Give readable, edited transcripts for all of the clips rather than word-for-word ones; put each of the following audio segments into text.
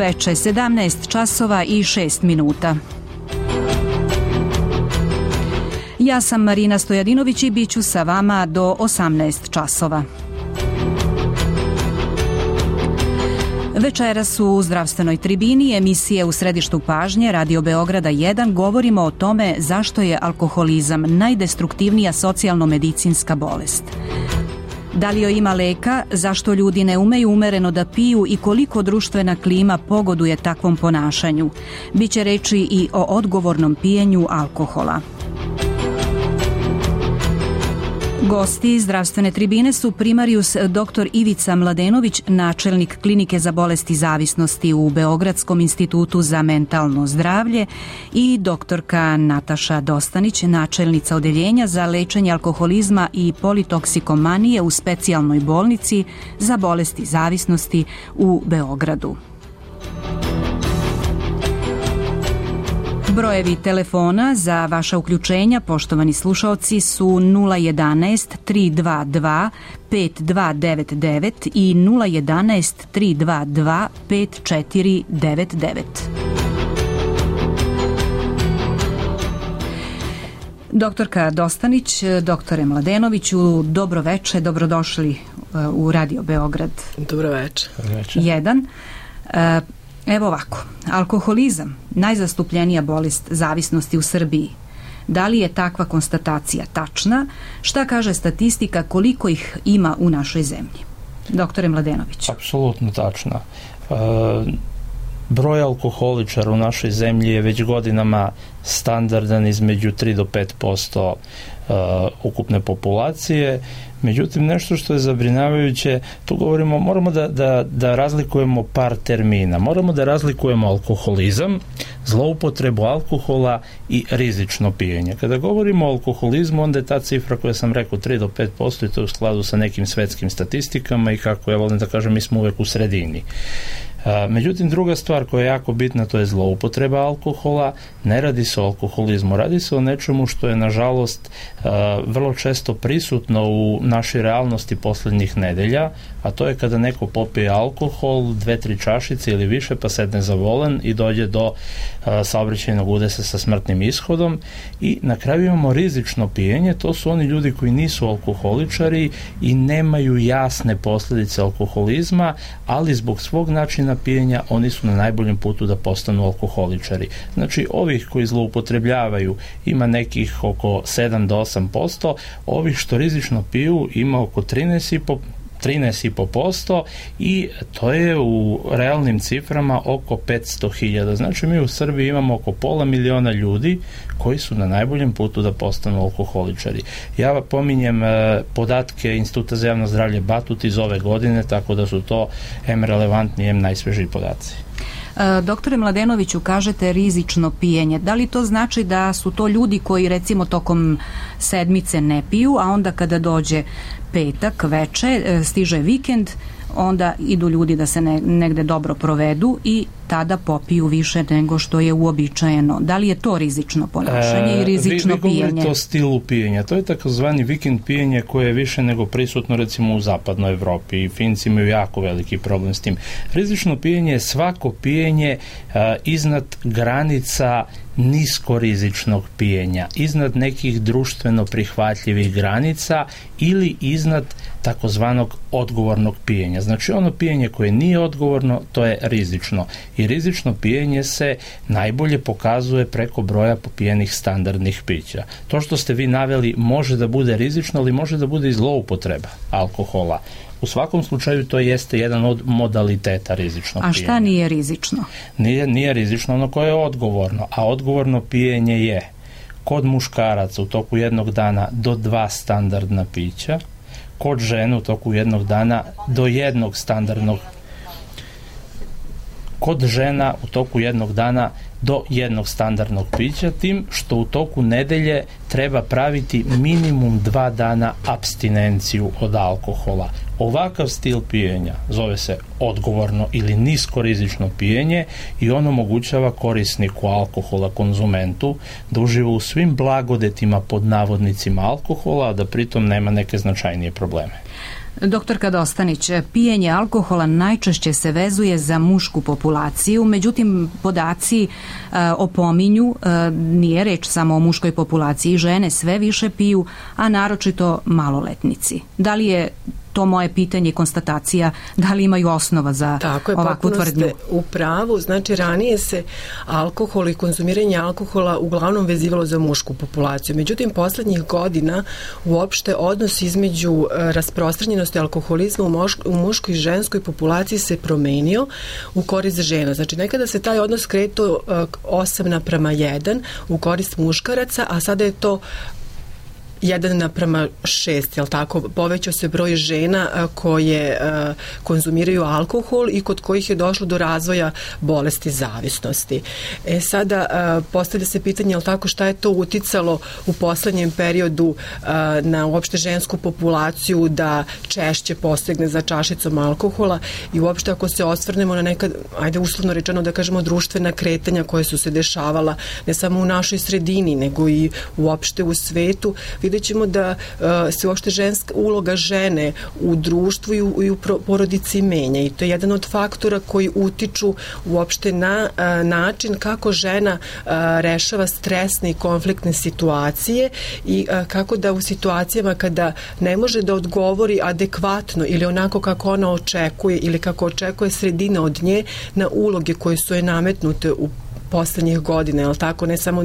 veče, 17 časova i 6 minuta. Ja sam Marina Stojadinović i bit ću sa vama do 18 časova. Večeras u zdravstvenoj tribini emisije U središtu pažnje Radio Beograda 1 govorimo o tome zašto je alkoholizam najdestruktivnija socijalno-medicinska bolest. Da li joj ima leka, zašto ljudi ne umeju umereno da piju i koliko društvena klima pogoduje takvom ponašanju. Biće reči i o odgovornom pijenju alkohola. Gosti zdravstvene tribine su primarijus dr. Ivica Mladenović, načelnik Klinike za bolesti zavisnosti u Beogradskom institutu za mentalno zdravlje, i doktorka Nataša Dostanić, načelnica odeljenja za lečenje alkoholizma i politoksikomanije u specijalnoj bolnici za bolesti zavisnosti u Beogradu. Brojevi telefona za vaša uključenja, poštovani slušaoci, su 011 322 5299 i 011 322 5499. Doktorka Dostanić, doktore Mladenoviću, dobro veče, dobrodošli u Radio Beograd. Dobro veče. 1. Evo ovako, alkoholizam, najzastupljenija bolest zavisnosti u Srbiji. Da li je takva konstatacija tačna? Šta kaže statistika, koliko ih ima u našoj zemlji? Doktore Mladenović. Apsolutno tačna. Broj alkoholičara u našoj zemlji je već godinama standardan između 3 do 5% ukupne populacije. Međutim, nešto što je zabrinjavajuće, tu govorimo, moramo da razlikujemo par termina. Moramo da razlikujemo alkoholizam, zloupotrebu alkohola i rizično pijenje. Kada govorimo o alkoholizmu, onda je ta cifra koja sam rekao 3 do 5% i to je u skladu sa nekim svetskim statistikama i kako ja volim da kažem, mi smo uvek u sredini. Međutim, druga stvar koja je jako bitna, to je zloupotreba alkohola. Ne radi se o alkoholizmu, radi se o nečemu što je, nažalost, vrlo često prisutno u našoj realnosti poslednjih nedelja, a to je kada neko popije alkohol, 2-3 čašice ili više, pa sedne za volan i dođe do saobraćajnog udesa sa smrtnim ishodom. I na kraju imamo rizično pijenje, to su oni ljudi koji nisu alkoholičari i nemaju jasne posljedice alkoholizma, ali zbog svog načina pijenja oni su na najboljem putu da postanu alkoholičari. Znači, ovih koji zloupotrebljavaju ima nekih oko 7 do 8%, ovih što rizično piju ima oko 13,5% i to je u realnim ciframa oko 500.000. Znači, mi u Srbiji imamo oko 500.000 ljudi koji su na najboljem putu da postanu alkoholičari. Ja pominjem podatke Instituta za javno zdravlje Batut iz ove godine, tako da su to relevantni, najsvežiji podaci. Doktore Mladenoviću, kažete rizično pijenje. Da li to znači da su to ljudi koji recimo tokom sedmice ne piju, a onda kada dođe petak, veče, stiže vikend, onda idu ljudi da se negde dobro provedu i tada popiju više nego što je uobičajeno. Da li je to rizično ponašanje i rizično pijenje? Vi govorite o stilu pijenja. To je takozvani vikend pijenje koje je više nego prisutno recimo u zapadnoj Evropi i Finci imaju jako veliki problem s tim. Rizično pijenje je svako pijenje iznad granica niskorizičnog pijenja, iznad nekih društveno prihvatljivih granica ili iznad takozvanog odgovornog pijenja. Znači, ono pijenje koje nije odgovorno, to je rizično. I rizično pijenje se najbolje pokazuje preko broja popijenih standardnih pića. To što ste vi naveli može da bude rizično, ali može da bude i zloupotreba alkohola. U svakom slučaju to jeste jedan od modaliteta rizičnog pijenja. A šta nije rizično? Nije rizično ono koje je odgovorno, a odgovorno pijenje je kod muškaraca u toku jednog dana do 2 standardna pića, kod žene u toku jednog dana do 1 standardnog, kod žena u toku jednog dana do 1 standardnog pića, tim što u toku nedelje treba praviti minimum 2 dana apstinenciju od alkohola. Ovakav stil pijenja zove se odgovorno ili niskorizično pijenje i on omogućava korisniku alkohola, konzumentu, da uživa u svim blagodetima pod navodnicima alkohola, a da pritom nema neke značajnije probleme. Doktorka Dostanić, pijenje alkohola najčešće se vezuje za mušku populaciju, međutim podaci opominju, nije reč samo o muškoj populaciji, žene sve više piju, a naročito maloletnici. Da li je to moje pitanje i konstatacija, da li imaju osnova za ovakvu tvrdnju? Tako je, u pravu. Znači, ranije se alkohol i konzumiranje alkohola uglavnom vezivalo za mušku populaciju. Međutim, poslednjih godina uopšte odnos između rasprostranjenosti alkoholizma u muškoj i ženskoj populaciji se promenio u korist žena. Znači, nekada se taj odnos kretao 8:1 u korist muškaraca, a sada je to 1:6, jel tako? Povećao se broj žena koje konzumiraju alkohol i kod kojih je došlo do razvoja bolesti zavisnosti. Sada postavlja se pitanje, jel tako, šta je to uticalo u poslednjem periodu na uopšte žensku populaciju da češće posegne za čašicom alkohola i uopšte ako se osvrnemo na neka, ajde uslovno rečeno da kažemo, društvena kretanja koje su se dešavala ne samo u našoj sredini, nego i uopšte u svetu, vidjet ćemo da se uopšte uloga žene u društvu i u porodici menja i to je jedan od faktora koji utiču uopšte na način kako žena rešava stresne i konfliktne situacije i kako da u situacijama kada ne može da odgovori adekvatno ili onako kako ona očekuje ili kako očekuje sredina od nje na uloge koje su je nametnute u poslednjih godina, jel tako, ne samo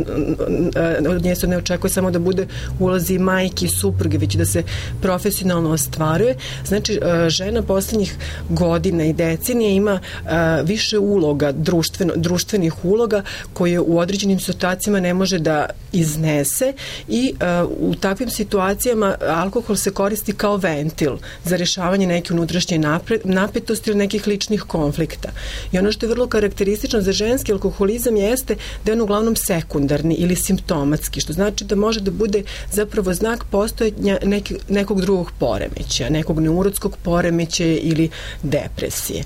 od nje se ne očekuje samo da bude ulozi majke i supruge, već da se profesionalno ostvaruje. Znači, žena poslednjih godina i decenija ima više uloga, društvenih uloga koje u određenim situacijama ne može da iznese i u takvim situacijama alkohol se koristi kao ventil za rešavanje neke unutrašnje napetosti ili nekih ličnih konflikta. I ono što je vrlo karakteristično za ženski alkoholizam jeste da je on uglavnom sekundarni ili simptomatski, što znači da može da bude zapravo znak postojanja nekog drugog poremećaja, nekog neurotskog poremećaja ili depresije.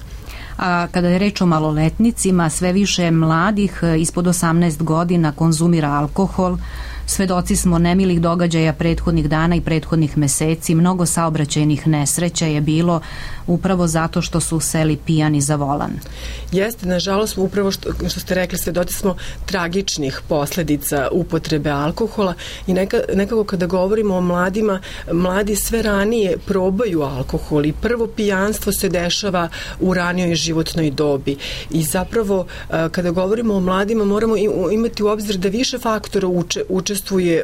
A kada je reč o maloletnicima, sve više mladih ispod 18 godina konzumira alkohol. Svedoci smo nemilih događaja prethodnih dana i prethodnih meseci. Mnogo saobraćajnih nesreća je bilo upravo zato što su seli pijani za volan. Jeste, nažalost, upravo što ste rekli, svedoci smo tragičnih posledica upotrebe alkohola i nekako kada govorimo o mladima, mladi sve ranije probaju alkohol i prvo pijanstvo se dešava u ranijoj životnoj dobi i zapravo kada govorimo o mladima moramo imati u obzir da više faktora učestvuje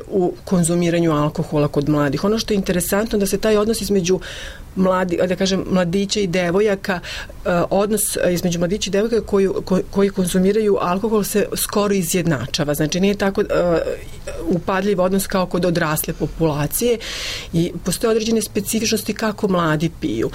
u konzumiranju alkohola kod mladih. Ono što je interesantno da se taj odnos između mladića i devojaka, odnos između mladića i devojaka koji konzumiraju alkohol se skoro izjednačava. Znači nije tako upadljiv odnos kao kod odrasle populacije i postoje određene specifičnosti kako mladi piju.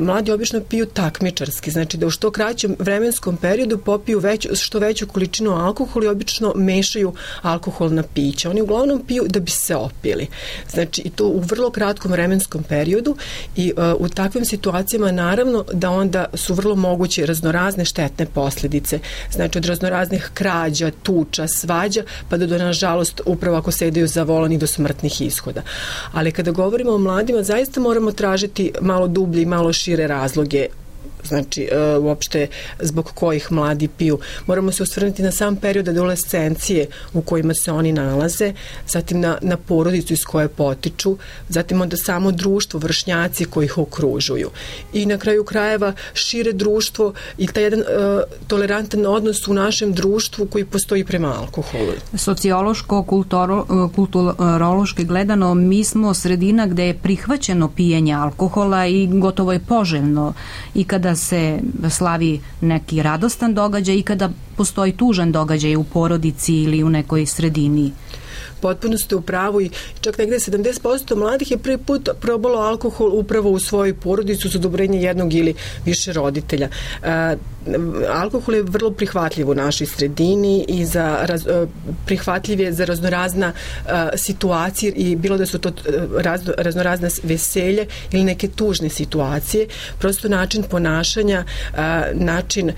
Mladi obično piju takmičarski, znači da u što kraćem vremenskom periodu popiju što veću količinu alkohola i obično mešaju alkoholna pića. Oni uglavnom piju da bi se opili. Znači i to u vrlo kratkom vremenskom periodu i u takvim situacijama naravno da onda su vrlo moguće raznorazne štetne posljedice. Znači od raznoraznih krađa, tuča, svađa pa do nažalost upravo ako sedaju za volan i do smrtnih ishoda. Ali kada govorimo o mladima zaista moramo tražiti malo dublje i malo šire razloge, znači uopšte zbog kojih mladi piju. Moramo se osvrnuti na sam period adolescencije u kojima se oni nalaze, zatim na porodicu iz koje potiču, zatim onda samo društvo, vršnjaci koji ih okružuju. I na kraju krajeva šire društvo i taj jedan tolerantan odnos u našem društvu koji postoji prema alkoholu. Sociološko, kulturološki gledano, mi smo sredina gde je prihvaćeno pijenje alkohola i gotovo je poželjno i kada se slavi neki radostan događaj i kada postoji tužan događaj u porodici ili u nekoj sredini. Potpuno ste u pravu i čak negde 70% mladih je prvi put probalo alkohol upravo u svojoj porodici uz odobrenje jednog ili više roditelja. Alkohol je vrlo prihvatljiv u našoj sredini i prihvatljiv je za raznorazna situacije i bilo da su to raznorazna veselje ili neke tužne situacije. Prosto način ponašanja, način,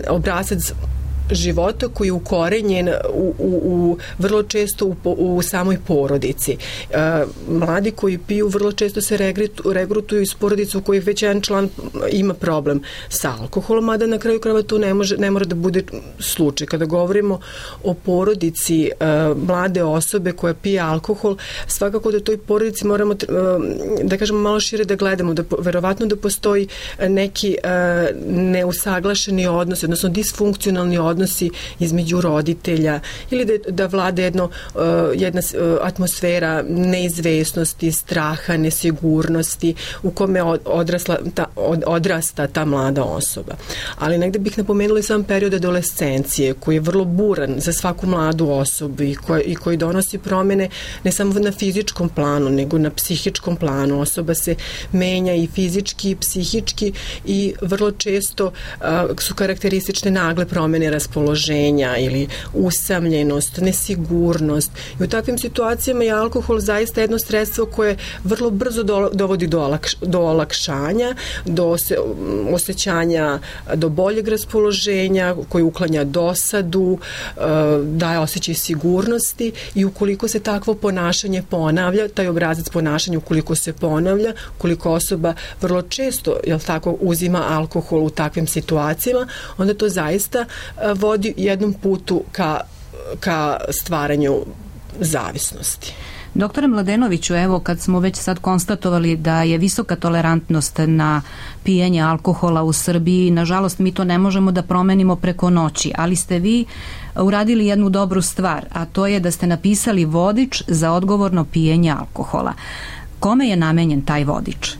obrazac života koji je ukorenjen u vrlo često u samoj porodici. Mladi koji piju vrlo često se regrutuju iz porodice u kojih već jedan član ima problem sa alkoholom, mada na kraju krajeva to ne mora da bude slučaj. Kada govorimo o porodici mlade osobe koja pije alkohol, svakako da toj porodici moramo, da kažemo, malo šire da gledamo, da verovatno da postoji neki neusaglašeni odnos, odnosno disfunkcionalni odnosi između roditelja, ili da vlada jedna atmosfera neizvesnosti, straha, nesigurnosti u kome odrasta ta mlada osoba. Ali negde bih napomenula i sam period adolescencije koji je vrlo buran za svaku mladu osobu i koji donosi promene ne samo na fizičkom planu, nego na psihičkom planu. Osoba se menja i fizički i psihički i vrlo često su karakteristične nagle promene raspoloženja ili usamljenost, nesigurnost. I u takvim situacijama je alkohol zaista jedno sredstvo koje vrlo brzo dovodi do olakšanja, do osjećanja, do boljeg raspoloženja, koji uklanja dosadu, daje osjećaj sigurnosti i ukoliko se takvo ponašanje ponavlja, taj obrazac ponašanja ukoliko se ponavlja, ukoliko osoba vrlo često, uzima alkohol u takvim situacijama, onda to zaista vodi jednom putu ka stvaranju zavisnosti. Doktore Mladenoviću, evo kad smo već sad konstatovali da je visoka tolerantnost na pijenje alkohola u Srbiji, nažalost mi to ne možemo da promenimo preko noći, ali ste vi uradili jednu dobru stvar, a to je da ste napisali vodič za odgovorno pijenje alkohola. Kome je namenjen taj vodič?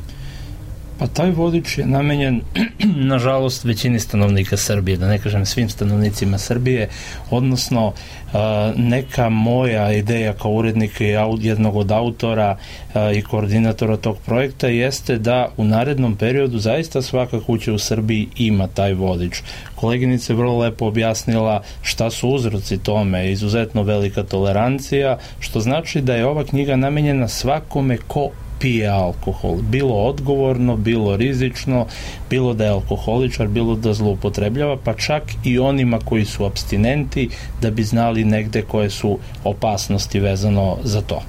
Pa taj vodič je namenjen, nažalost, većini stanovnika Srbije, da ne kažem svim stanovnicima Srbije, odnosno neka moja ideja kao urednika i jednog od autora i koordinatora tog projekta jeste da u narednom periodu zaista svaka kuća u Srbiji ima taj vodič. Koleginica je vrlo lepo objasnila šta su uzroci tome, izuzetno velika tolerancija, što znači da je ova knjiga namenjena svakome ko pije alkohol, bilo odgovorno, bilo rizično, bilo da je alkoholičar, bilo da zloupotrebljava, pa čak i onima koji su apstinenti, da bi znali negde koje su opasnosti vezano za to.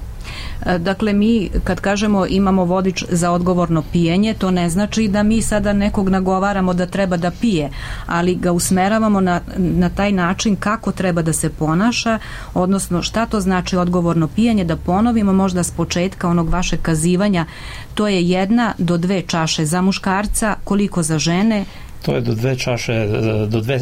Dakle, mi kad kažemo imamo vodič za odgovorno pijenje, to ne znači da mi sada nekog nagovaramo da treba da pije, ali ga usmeravamo na taj način kako treba da se ponaša, odnosno šta to znači odgovorno pijenje, da ponovimo možda s početka onog vašeg kazivanja, to je 1 do 2 čaše za muškarca, koliko za žene? To je do 2 čaše,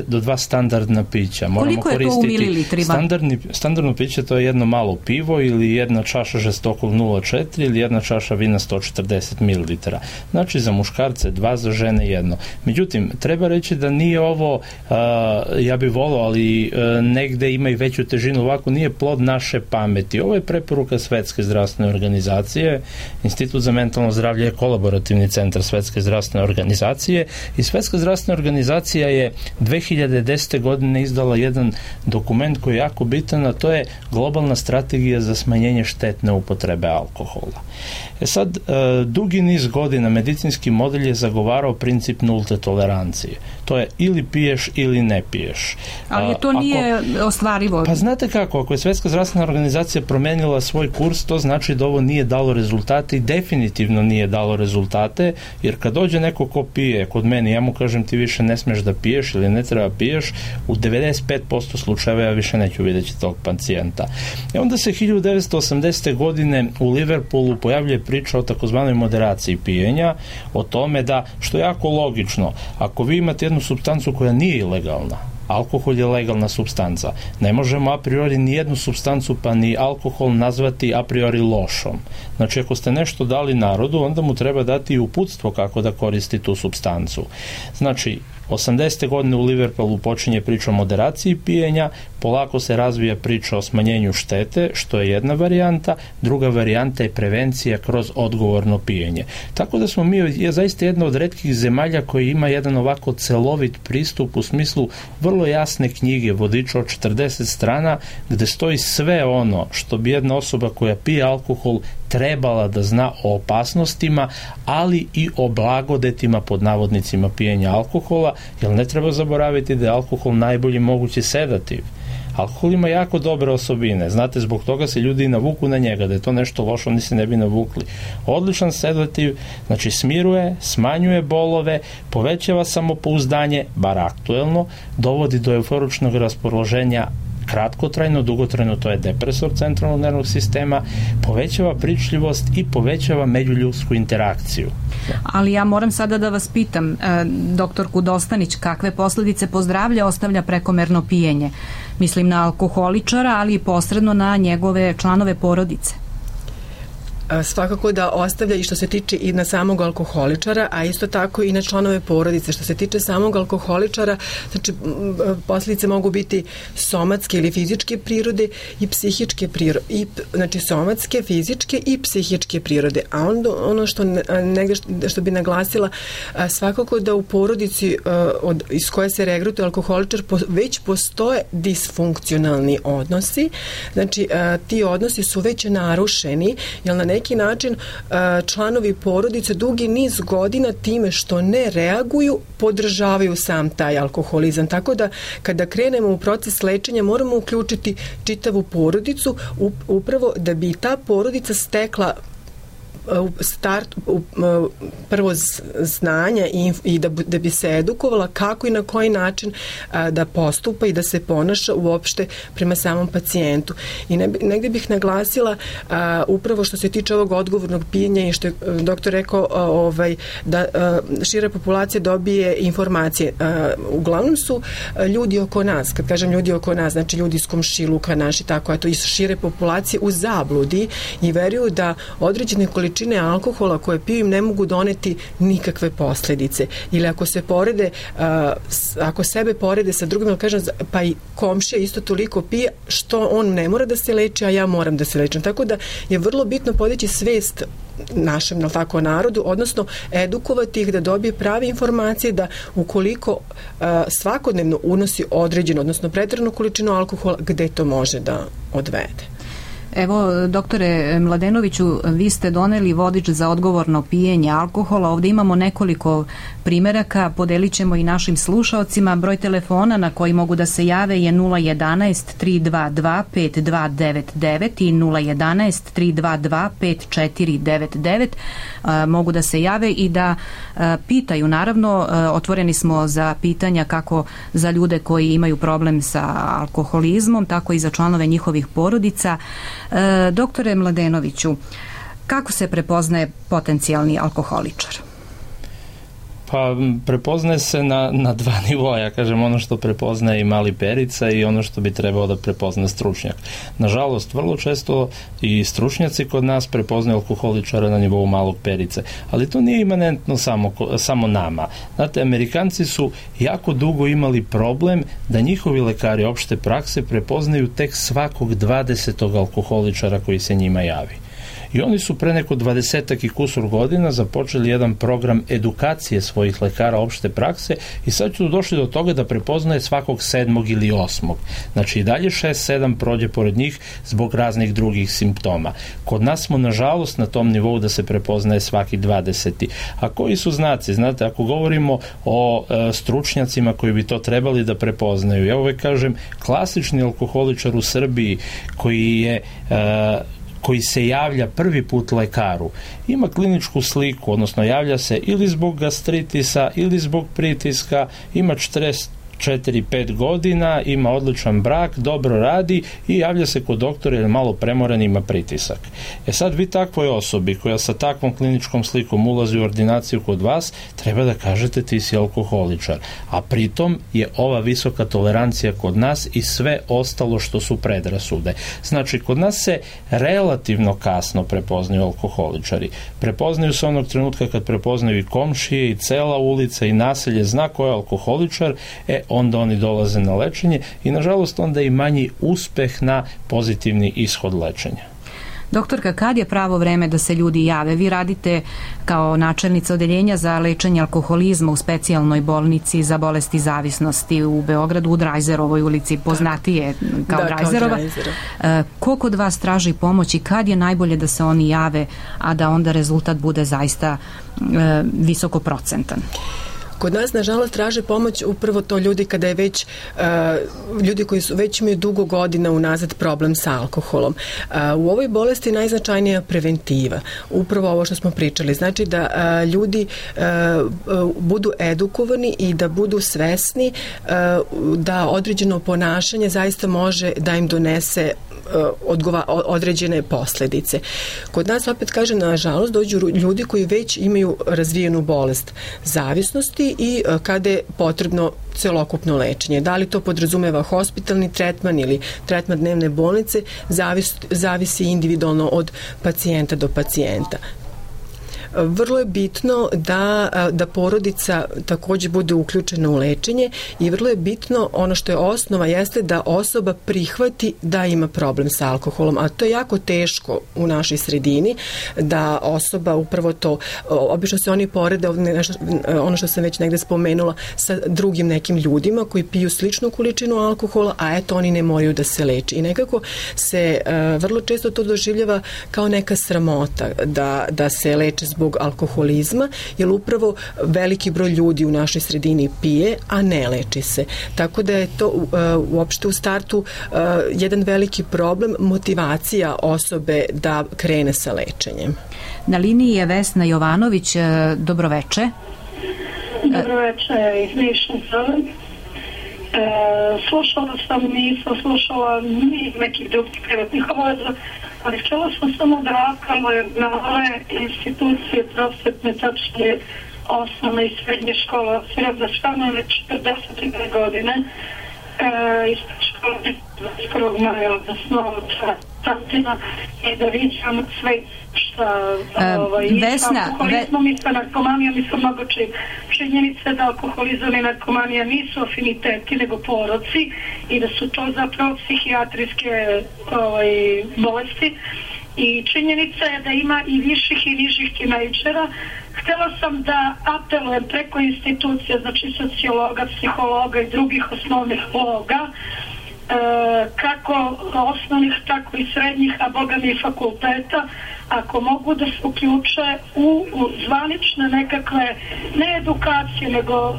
do 2 standardna pića. Koliko je to u mililitrima? Standardno piće to je jedno malo pivo ili 1 čaša žestokog 0,4 ili 1 čaša vina 140 ml. Znači za muškarce 2, za žene 1. Međutim, treba reći da nije ovo, ja bih volao, ali negde ima i veću težinu, ovako nije plod naše pameti. Ovo je preporuka Svetske zdravstvene organizacije. Institut za mentalno zdravlje je kolaborativni centar Svetske zdravstvene organizacije i Svetska zdravstvena organizacija je 2010. godine izdala jedan dokument koji je jako bitan, a to je globalna strategija za smanjenje štetne upotrebe alkohola. Sad, dugi niz godina medicinski model je zagovarao princip nulte tolerancije. To je ili piješ ili ne piješ. Ali to nije ostvarivo. Pa znate kako, ako je Svetska zdravstvena organizacija promenila svoj kurs, to znači da ovo nije dalo rezultate i definitivno nije dalo rezultate, jer kad dođe neko ko pije kod mene, ja mu kažem ti više ne smeš da piješ ili ne treba piješ, u 95% slučajeva ja više neću vidjeti tog pacijenta. I onda se 1980. godine u Liverpoolu pojavljuje priča o takozvanoj moderaciji pijenja, o tome da, što je jako logično, ako vi imate jednu supstancu koja nije ilegalna, alkohol je legalna supstanca, ne možemo a priori ni jednu supstancu pa ni alkohol nazvati a priori lošom. Znači ako ste nešto dali narodu, onda mu treba dati i uputstvo kako da koristi tu supstancu. Znači 80. godine u Liverpoolu počinje priča o moderaciji pijenja, polako se razvija priča o smanjenju štete, što je jedna varijanta, druga varijanta je prevencija kroz odgovorno pijenje. Tako da smo mi zaista jedna od retkih zemalja koji ima jedan ovako celovit pristup u smislu vrlo jasne knjige, vodiča od 40 strana, gde stoji sve ono što bi jedna osoba koja pije alkohol trebala da zna o opasnostima, ali i o blagodetima pod navodnicima pijenja alkohola, jer ne treba zaboraviti da je alkohol najbolji mogući sedativ. Alkohol ima jako dobre osobine, znate, zbog toga se ljudi i navuku na njega, da je to nešto loše, oni se ne bi navukli. Odličan sedativ, znači smiruje, smanjuje bolove, povećava samopouzdanje, bar aktuelno, dovodi do euforičnog raspoloženja kratkotrajno, dugotrajno to je depresor centralnog nervnog sistema, povećava pričljivost i povećava međuljudsku interakciju. Ali ja moram sada da vas pitam, doktorku Dostanić, kakve posledice po zdravlje ostavlja prekomerno pijenje? Mislim na alkoholičara, ali i posredno na njegove članove porodice. Svakako da ostavlja i što se tiče i na samog alkoholičara, a isto tako i na članove porodice. Što se tiče samog alkoholičara, znači posljedice mogu biti somatske ili fizičke prirode i psihičke prirode, znači somatske, fizičke i psihičke prirode. A onda ono što bi naglasila, svakako da u porodici iz koje se regrutuje alkoholičar već postoje disfunkcionalni odnosi, znači ti odnosi su već narušeni, jer na neki način članovi porodice dugi niz godina time što ne reaguju podržavaju sam taj alkoholizam. Tako da kada krenemo u proces lečenja moramo uključiti čitavu porodicu upravo da bi ta porodica stekla prvo znanja i da bi se edukovala kako i na koji način da postupa i da se ponaša uopšte prema samom pacijentu. I negdje bih naglasila upravo što se tiče ovog odgovornog pijenja i što je doktor rekao da šira populacija dobije informacije. Uglavnom su ljudi oko nas, kad kažem ljudi oko nas, znači ljudi iz komšiluka naši, tako je to, iz šire populacije u zabludi i veruju da određene količine alkohola koje piju im ne mogu doneti nikakve posljedice. Ili ako se porede, ako sebe porede sa drugim, kažem, pa i komšija isto toliko pije, što on ne mora da se leči, a ja moram da se lečim. Tako da je vrlo bitno podići svest našem narodu, odnosno edukovati ih da dobije prave informacije da ukoliko svakodnevno unosi određenu, odnosno pretjeranu količinu alkohola, gde to može da odvede. Evo, doktore Mladenoviću, vi ste doneli vodič za odgovorno pijenje alkohola. Ovdje imamo nekoliko primeraka, podelit ćemo i našim slušaocima. Broj telefona na koji mogu da se jave je 011 322 5299 i 011 322 5499. Mogu da se jave i da pitaju. Naravno, otvoreni smo za pitanja kako za ljude koji imaju problem sa alkoholizmom, tako i za članove njihovih porodica. Doktore Mladenoviću, kako se prepoznaje potencijalni alkoholičar? Pa prepoznaje se na dva nivoa, ja kažem, ono što prepoznaje i mali Perica i ono što bi trebao da prepozna stručnjak. Nažalost, vrlo često i stručnjaci kod nas prepoznaju alkoholičara na nivou malog Perice, ali to nije imanentno samo nama. Znate, Amerikanci su jako dugo imali problem da njihovi lekari opšte prakse prepoznaju tek svakog 20. alkoholičara koji se njima javi. I oni su pre neko 20 i kusur godina započeli jedan program edukacije svojih lekara opšte prakse i sad su došli do toga da prepoznaje svakog 7. ili 8. Znači i dalje 6-7 prođe pored njih zbog raznih drugih simptoma. Kod nas smo nažalost na tom nivou da se prepoznaje svaki 20. A koji su znaci? Znate, ako govorimo o stručnjacima koji bi to trebali da prepoznaju, ja uvek kažem, klasični alkoholičar u Srbiji koji se javlja prvi put lekaru, ima kliničku sliku, odnosno javlja se ili zbog gastritisa ili zbog pritiska, ima 4-5 godina, ima odličan brak, dobro radi i javlja se kod doktora jer je malo premoran, ima pritisak. Sad vi takvoj osobi koja sa takvom kliničkom slikom ulazi u ordinaciju kod vas, treba da kažete ti si alkoholičar. A pritom je ova visoka tolerancija kod nas i sve ostalo što su predrasude. Znači, kod nas se relativno kasno prepoznaju alkoholičari. Prepoznaju se onog trenutka kad prepoznaju i komšije i cela ulica i naselje zna ko je alkoholičar, onda oni dolaze na lečenje i nažalost onda i manji uspeh na pozitivni ishod lečenja. Doktorka, kad je pravo vreme da se ljudi jave? Vi radite kao načelnica odeljenja za lečenje alkoholizma u specijalnoj bolnici za bolesti zavisnosti u Beogradu, u Drajzerovoj ulici, poznatije kao Drajzerova. Ko kod vas traži pomoć i kad je najbolje da se oni jave, a da onda rezultat bude zaista visoko procentan? Kod nas, nažalost, traže pomoć upravo to ljudi kada je već, ljudi koji su već imaju dugo godina unazad problem sa alkoholom. U ovoj bolesti najznačajnija preventiva. Upravo ovo što smo pričali. Znači da ljudi budu edukovani i da budu svesni da određeno ponašanje zaista može da im donese određene posledice. Kod nas, opet kažem, nažalost, dođu ljudi koji već imaju razvijenu bolest zavisnosti i kada je potrebno celokupno lečenje. Da li to podrazumeva hospitalni tretman ili tretman dnevne bolnice, zavisi individualno od pacijenta do pacijenta. Vrlo je bitno da porodica takođe bude uključena u lečenje i vrlo je bitno, ono što je osnova, jeste da osoba prihvati da ima problem sa alkoholom, a to je jako teško u našoj sredini, da osoba upravo to, obično se oni porede, ono što sam već negde spomenula, sa drugim nekim ljudima koji piju sličnu količinu alkohola, a eto oni ne moraju da se leči. I nekako se vrlo često to doživljava kao neka sramota da se leče zbog alkoholizma, jer upravo veliki broj ljudi u našoj sredini pije, a ne leči se. Tako da je to uopšte u startu jedan veliki problem, motivacija osobe da krene sa lečenjem. Na liniji je Vesna Jovanović. Dobroveče. Dobroveče iz Niša. Slušala sam, nisam slušala ni nekih drugih privatnih obaveza, ali htjela sam samo da apelujem na ove institucije prosvetne, tačnije osnovne i srednje škole, da stvarno već 42 godine ispred škole 21. maja, odnosno tatina, i da viđam sve šta i sa alkoholizmom i sa narkomanijom i sa mnogo čim. Činjenica da alkoholizam i narkomanija nisu afiniteti nego poroci i da su to zapravo psihijatrijske bolesti. I činjenica je da ima i viših i nižih tinejdžera. Htjela sam da apelujem preko institucija, znači sociologa, psihologa i drugih osnovnih loga, kako osnovnih, tako i srednjih, a bogami i fakulteta, ako mogu da se uključe u zvanične nekakve, ne edukacije, nego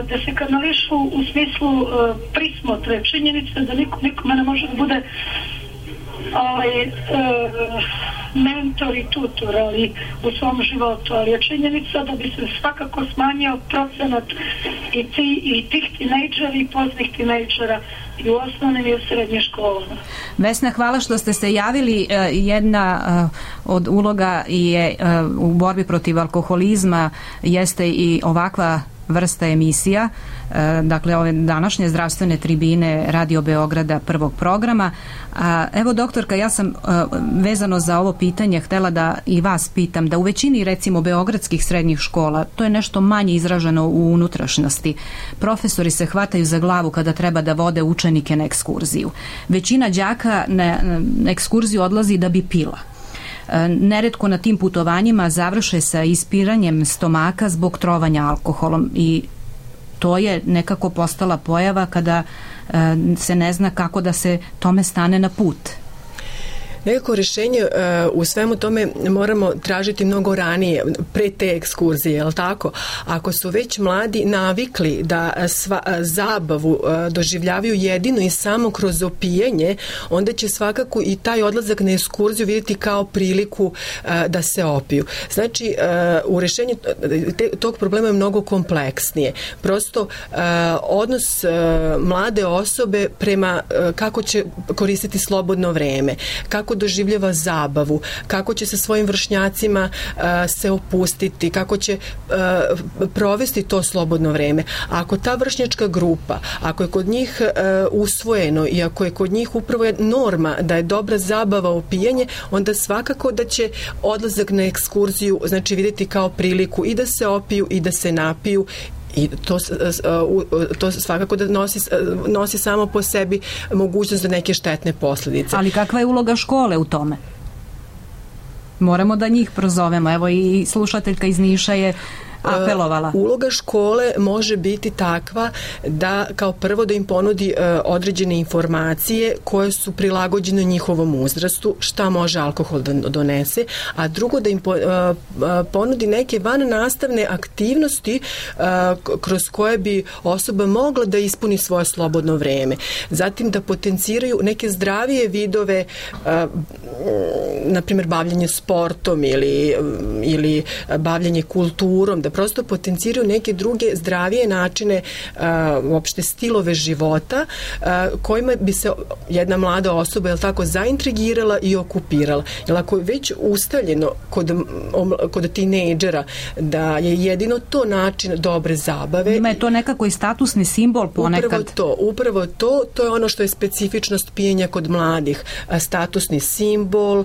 da se kanališu u smislu prismotre. Činjenica da nikome ne može da bude mentor i tutor, ali u svom životu, ali je činjenica da bi se svakako smanjio procenat i tih tinejdžera i poznih tinejdžera i u osnovnim i u srednje školama. Vesna, hvala što ste se javili. Jedna od uloga je u borbi protiv alkoholizma jeste i ovakva vrsta emisija, dakle ove današnje zdravstvene tribine Radio Beograda prvog programa. Evo, doktorka, ja sam vezano za ovo pitanje htela da i vas pitam, da u većini recimo beogradskih srednjih škola to je nešto manje izraženo u unutrašnjosti. Profesori se hvataju za glavu kada treba da vode učenike na ekskurziju. Većina đaka na ekskurziju odlazi da bi pila. Neretko na tim putovanjima završe sa ispiranjem stomaka zbog trovanja alkoholom i to je nekako postala pojava kada se ne zna kako da se tome stane na put. Nekako rješenje u svemu tome moramo tražiti mnogo ranije, pre te ekskurzije, je li tako? Ako su već mladi navikli da zabavu doživljavaju jedino i samo kroz opijanje, onda će svakako i taj odlazak na ekskurziju vidjeti kao priliku da se opiju. Znači, u rješenju tog problema je mnogo kompleksnije. Prosto, odnos mlade osobe prema kako će koristiti slobodno vreme, kako doživljava zabavu, kako će sa svojim vršnjacima se opustiti, kako će provesti to slobodno vreme. Ako ta vršnjačka grupa, ako je kod njih usvojeno i ako je kod njih upravo norma da je dobra zabava opijanje, onda svakako da će odlazak na ekskurziju znači vidjeti kao priliku i da se opiju i da se napiju I to svakako da nosi samo po sebi mogućnost za neke štetne posljedice. Ali kakva je uloga škole u tome? Moramo da njih prozovemo. Evo i slušateljka iz Niša je apelovala. Uloga škole može biti takva da kao prvo da im ponudi određene informacije koje su prilagođene njihovom uzrastu, šta može alkohol da donese, a drugo da im ponudi neke vannastavne aktivnosti kroz koje bi osoba mogla da ispuni svoje slobodno vreme. Zatim da potenciraju neke zdravije vidove, na primjer bavljanje sportom ili bavljanje kulturom, da prosto potenciraju neke druge zdravije načine, uopšte stilove života kojima bi se jedna mlada osoba, je li tako, zaintrigirala i okupirala. Jer ako je već ustaljeno kod tinejdžera da je jedino to način dobre zabave. Ima je to nekako i statusni simbol ponekad. Upravo to je ono što je specifičnost pijenja kod mladih. Statusni simbol,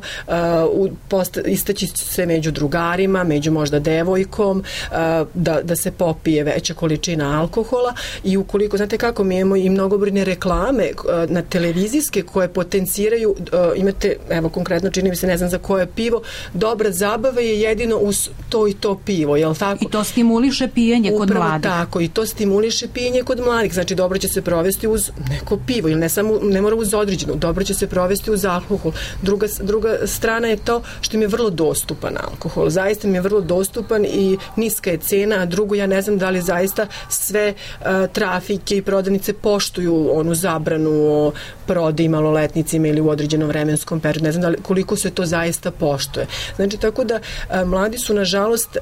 istaći se među drugarima, među možda devojkom, da se popije veća količina alkohola i ukoliko, znate kako, mi imamo i mnogobrojne reklame na televizijske koje potenciraju, imate, evo konkretno čini mi se, ne znam za koje pivo, dobra zabava je jedino uz to i to pivo, je li tako? I to stimuliše pijenje kod mladih. Upravo tako, i to stimuliše pijenje kod mladih, znači dobro će se provesti uz neko pivo, ili ne mora uz određeno, dobro će se provesti uz alkohol. Druga strana je to što im je vrlo dostupan alkohol, zaista mi je vrlo dostupan i niska je cena, a drugo, ja ne znam da li zaista sve trafike i prodavnice poštuju onu zabranu o prodaji maloletnicima ili u određenom vremenskom periodu. Ne znam koliko se to zaista poštuje. Znači, tako da mladi su, nažalost,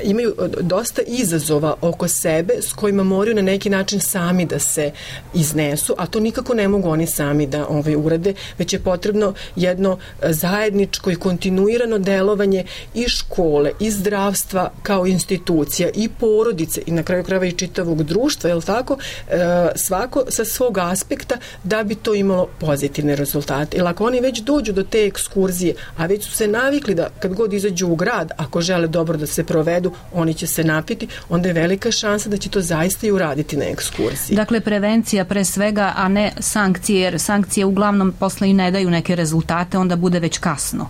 imaju dosta izazova oko sebe s kojima moraju na neki način sami da se iznesu, a to nikako ne mogu oni sami da urade, već je potrebno jedno zajedničko i kontinuirano delovanje i škole, i zdravstva kao institucija, i porodice, i na kraju krajeva i čitavog društva, je li tako, svako sa svog aspekta da bi to imalo pozitivne rezultate. Jer ako oni već dođu do te ekskurzije, a već su se navikli da kad god izađu u grad, ako žele dobro da se provedu, oni će se napiti, onda je velika šansa da će to zaista i uraditi na ekskurziji. Dakle, prevencija pre svega, a ne sankcije, jer sankcije uglavnom posle i ne daju neke rezultate, onda bude već kasno.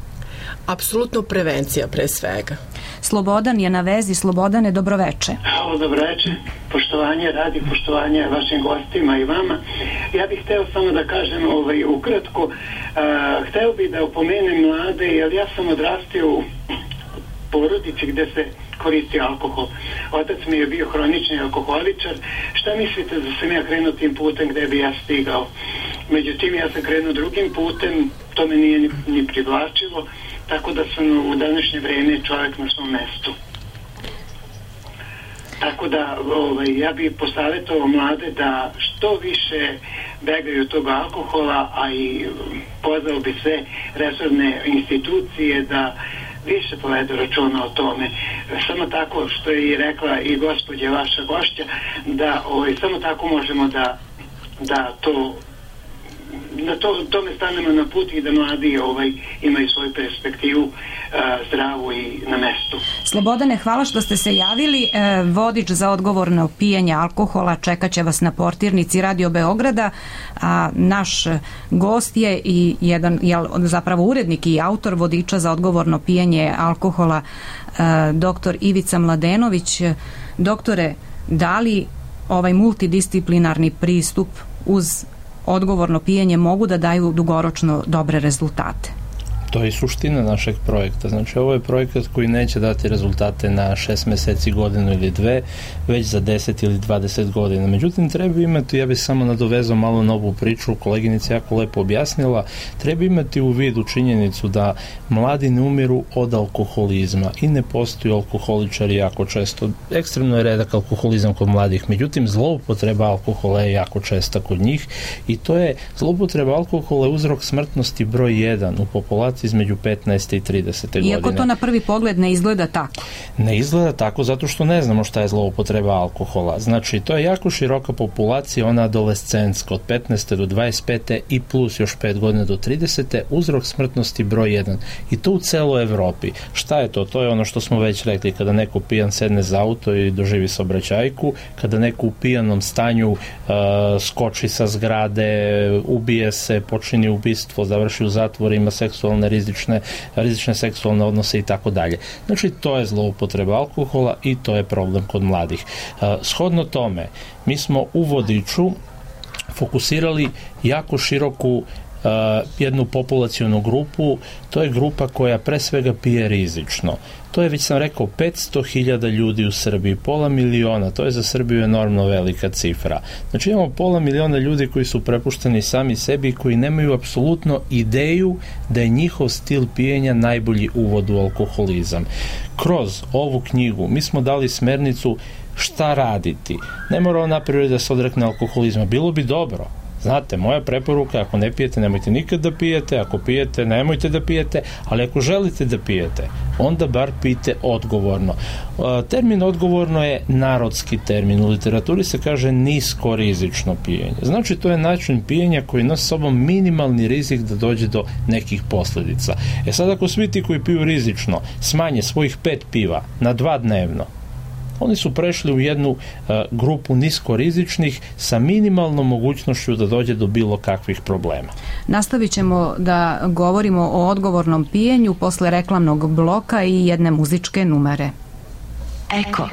Apsolutno prevencija pre svega. Slobodan je na vezi. Slobodane, dobroveče. Dobroveče, poštovanje radi, poštovanje vašim gostima i vama. Ja bih hteo samo da kažem ukratko, hteo bih da opomenem mlade, jer ja sam odrastio u porodici gde se koristi alkohol. Otac mi je bio hronični alkoholičar. Šta mislite da sam ja krenuo tim putem gde bi ja stigao? Međutim, ja sam krenuo drugim putem, to me nije ni privlačilo, tako da sam u današnje vreme čovjek na svom mestu. Tako da ja bih posavjetovao mlade da što više begaju tog alkohola, a i pozvao bi sve resorne institucije da više povedu računa o tome. Samo tako, što je i rekla i gospođa vaša gošća, da samo tako možemo da tome stanemo na put i da mladi imaju svoju perspektivu zdravu i na mestu. Slobodane, hvala što ste se javili. Vodič za odgovorno pijenje alkohola čekaće vas na portirnici Radio Beograda, a naš gost je i zapravo urednik i autor vodiča za odgovorno pijenje alkohola, doktor Ivica Mladenović. Doktore, da li ovaj multidisciplinarni pristup uz odgovorno pijenje mogu da daju dugoročno dobre rezultate? To je suština našeg projekta. Znači, ovo je projekat koji neće dati rezultate na 6 meseci, godinu ili 2, već za 10 ili 20 godina. Međutim, treba imati, ja bih samo nadovezao malo novu priču, koleginica jako lepo objasnila, treba imati u vidu činjenicu da mladi ne umiru od alkoholizma i ne postoji alkoholičari jako često. Ekstremno je redak alkoholizam kod mladih, međutim, zloupotreba alkohola je jako česta kod njih i to je, zloupotreba alkohola je uzrok smrtnosti broj 1 u populaciji populacije između 15. i 30. godine. Iako to na prvi pogled ne izgleda tako. Ne izgleda tako zato što ne znamo šta je zloupotreba alkohola. Znači, to je jako široka populacija, ona adolescentska, od 15. do 25. i plus još 5 godina do 30. Uzrok smrtnosti broj 1. I to u celoj Evropi. Šta je to? To je ono što smo već rekli, kada neko pijan sedne za auto i doživi saobraćajku, kada neko u pijanom stanju skoči sa zgrade, ubije se, počini ubistvo, završi u zatvoru, ima seksualne rizične seksualne odnose i tako dalje. Znači, to je zloupotreba alkohola i to je problem kod mladih. Shodno tome, mi smo u vodiču fokusirali jako široku jednu populacionu grupu, to je grupa koja pre svega pije rizično. To je, već sam rekao, 500.000 ljudi u Srbiji, pola miliona, to je za Srbiju enormno velika cifra. Znači imamo pola miliona ljudi koji su prepušteni sami sebi i koji nemaju apsolutno ideju da je njihov stil pijenja najbolji uvod u alkoholizam. Kroz ovu knjigu mi smo dali smernicu šta raditi. Ne mora on napraviti da se odrekne alkoholizma, bilo bi dobro. Znate, moja preporuka, ako ne pijete, nemojte nikad da pijete, ako pijete, nemojte da pijete, ali ako želite da pijete, onda bar pijte odgovorno. Termin odgovorno je narodski termin. U literaturi se kaže nisko rizično pijenje. Znači, to je način pijenja koji nosi sobom minimalni rizik da dođe do nekih posljedica. Sad, ako svi ti koji piju rizično smanje svojih 5 piva na 2 dnevno, oni su prešli u jednu grupu niskorizičnih sa minimalnom mogućnošću da dođe do bilo kakvih problema. Nastavit ćemo da govorimo o odgovornom pijenju posle reklamnog bloka i jedne muzičke numere. Eko.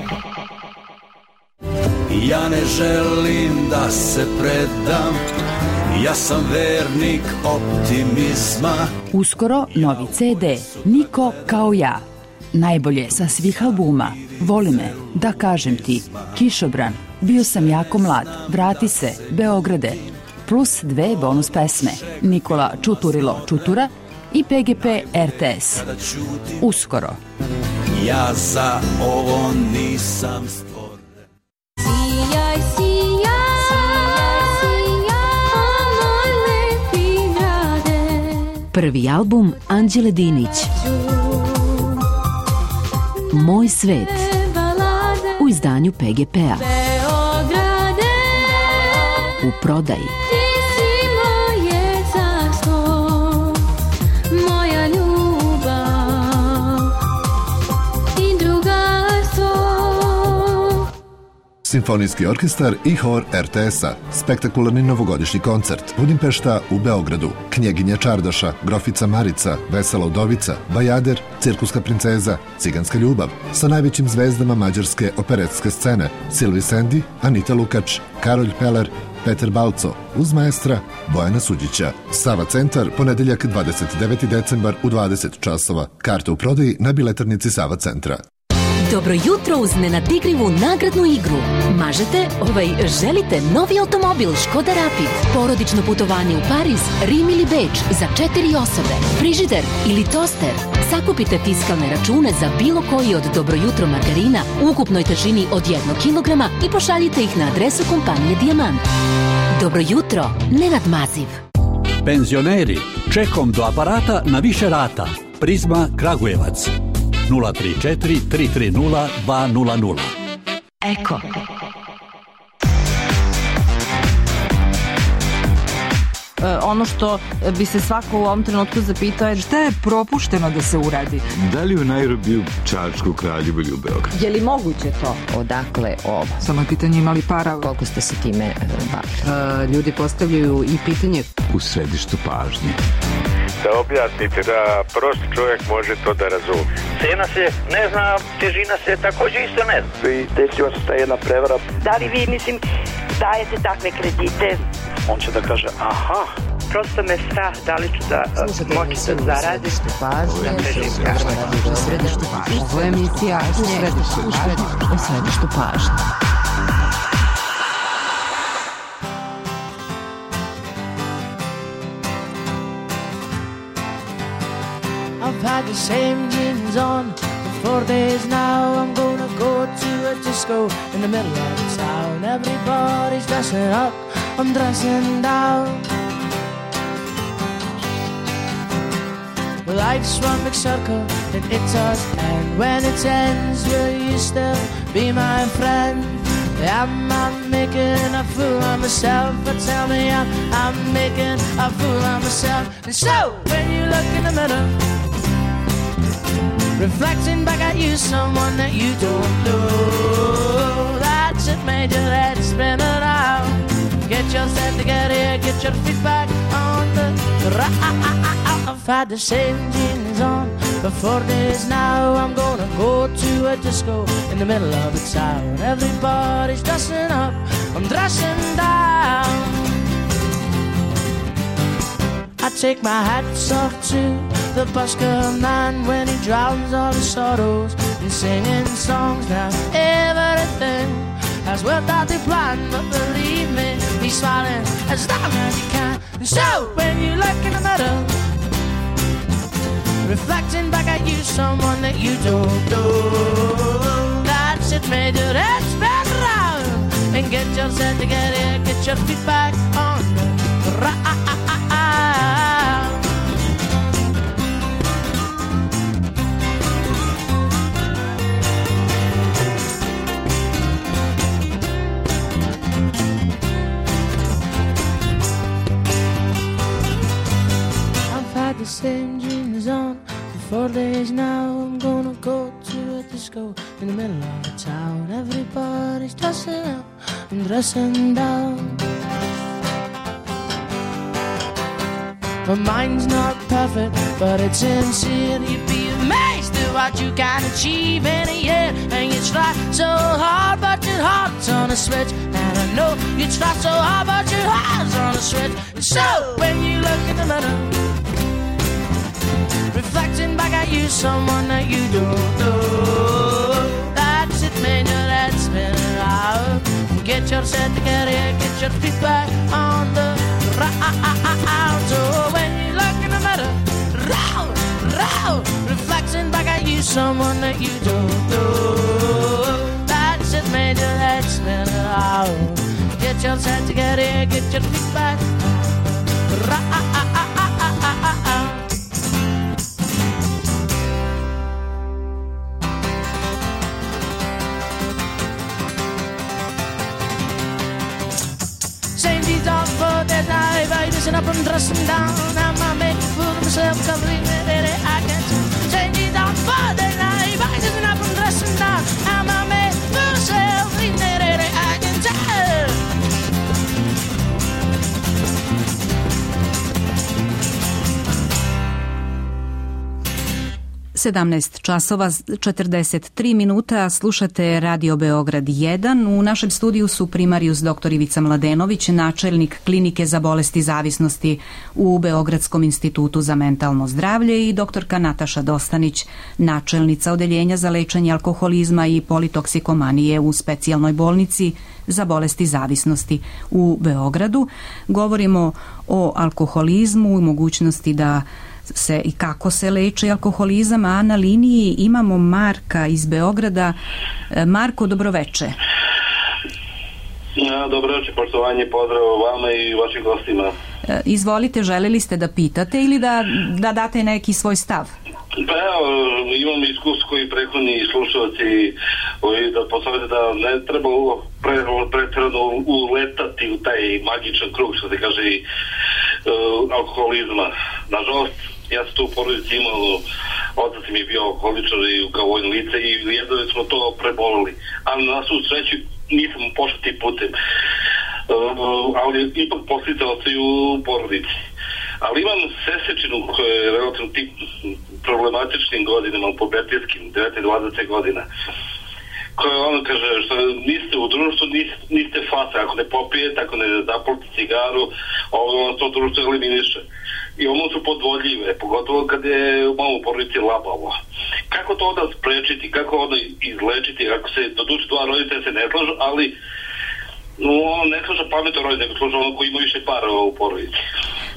Ja ne želim da se predam, ja sam vernik optimizma. Uskoro novi CD, Niko kao ja. Najbolje sa svih albuma, Voli me, Da kažem ti, Kišobran, Bio sam jako mlad, Vrati se, Beograde, plus 2 bonus pesme, Nikola Čuturilo Čutura i PGP RTS. Uskoro. Ja za ovo nisam stvoren. Sijaj, moj lepi grade. Prvi album Anđele Dinić. Moj svet u izdanju PGP-a. U prodaji. Simfonijski orkestar i hor RTS-a. Spektakularni novogodišnji koncert. Budimpešta u Beogradu. Knjeginja Čardaša, Grofica Marica, Vesela Udovica, Bajader, Cirkuska princeza, Ciganska ljubav. Sa najvećim zvezdama mađarske operetske scene. Silvi Sendi, Anita Lukač, Karolj Peler, Peter Balco, uz maestra Bojana Suđića. Sava centar, ponedeljak 29. decembar u 20 časova. Karte u prodaji na biletarnici Sava centra. Dobro jutro uz nenadikrivu nagradnu igru. Želite novi automobil Škoda Rapid, porodično putovanje u Pariz, Rim ili Beč za 4 osobe, frižider ili toster. Sakupite fiskalne račune za bilo koji od Dobro jutro margarina u ukupnoj težini od 1 kilograma i pošaljite ih na adresu kompanije Dijamant. Dobro jutro, Nenad Maziv. Penzioneri, čekom do aparata na više rata. Prizma Kragujevac. 034 330 200. Eko. Ono što bi se svako u ovom trenutku zapitao je šta je propušteno da se uradi. Da li u Nairobiju, Čačku, Kraljevu ili u Beogradu? Je li moguće to? Odakle ovo? Samo je pitanje imali para. Koliko ste se time bavili? Ljudi postavljaju i pitanje. U središtu pažnje. Da objasnite da prosti čovjek može to da razumije. Cena se ne zna, težina se također isto ne zna. I desila se ta jedna prevara. Da li vi, dajete takve kredite? On će da kaže, aha. Prosto me strah, da li ću da moći da zaradim. Središtu pažnje. Ovo je emisija u središtu pažnje. I've had the same jeans on for 4 days now. I'm gonna go to a disco in the middle of town. Everybody's dressing up, I'm dressing down. Life's one big circle and it does end. When it ends, will you still be my friend? Am I making a fool of myself? But tell me, I'm making a fool of myself. And so, when you look in the mirror, reflecting back at you, someone that you don't know, that's it, made your head spin around. Get yourself together, get your feet back on the ground. I've had the same jeans on for 4 days now. I'm gonna go to a disco in the middle of the town. Everybody's dressing up, I'm dressing down. I take my hats off to the busker man when he drowns all his sorrows in singing songs. Now everything has worked out the plan, but believe me, he's smiling as long as he can. And so when you look in the mirror, reflecting back at you, someone that you don't know, that's it, made your head spin around. And get yourself together, get your feet back on the ground. The same jeans on for 4 days now. I'm gonna go to a disco in the middle of the town. Everybody's dressing up and dressing down. My mind's not perfect, but it's sincere. You'd be amazed at what you can achieve in a year. And you try so hard, but your heart's on a switch. And I know you try so hard, but your heart's on a switch. And so when you look in the mirror, reflecting back at you, someone that you don't know, that's it, man, your head spin around. Get yourself together, get your feet back on the ground. So when you look in the mirror, round, round, reflecting back at you, someone that you don't know, that's it, man, your head spin around. Get yourself together, get your feet back round. Dressing up and dressing down. I'm a making fool of myself, can't believe it, I can't change it on for the night. By dressing up and dressing down, I'm a making fool of myself, believe it, I can tell. 17 časova 43 minuta, slušate Radio Beograd 1. U našem studiju su primarijus dr. Ivica Mladenović, načelnik klinike za bolesti zavisnosti u Beogradskom institutu za mentalno zdravlje, i doktorka Nataša Dostanić, načelnica odeljenja za lečenje alkoholizma i politoksikomanije u specijalnoj bolnici za bolesti zavisnosti u Beogradu. Govorimo o alkoholizmu i mogućnosti da se i kako se leči alkoholizam, a na liniji imamo Marka iz Beograda. Marko, dobroveče. Dobroveče, poštovanje, pozdrav vama i vašim gostima. Izvolite, želeli ste da pitate ili da date neki svoj stav? Pa evo, imam iskustvo koji prethodni slušalci da posavete da ne treba pretjerano uletati u taj magičan krug, što se kaže, alkoholizma. Nažalost, ja sam to u porodici imao, otac mi je bio alkoholičar i kao vojno lice i jedno smo to prebolili. Ali na svu sreću nisam pošao tim putem. Ali ipak posljedice ostaju u porodici. Ali imam sesečinu koja je relativno tim problematičnim godinama, pubertetskim, 19-20 godina, koja ono kaže, što niste u društvu, niste faca, ako ne popijete, ako ne zapalite cigaru, to društvo eliminiše. I ono su podvodljive, pogotovo kad je malo u porodici labavo. Kako to onda sprečiti, kako onda izlečiti, ako se do duše dva roditelja se ne slažu, ali ono ne slaža pametno roditelj, nego slaža ono koji ima više para u porodici.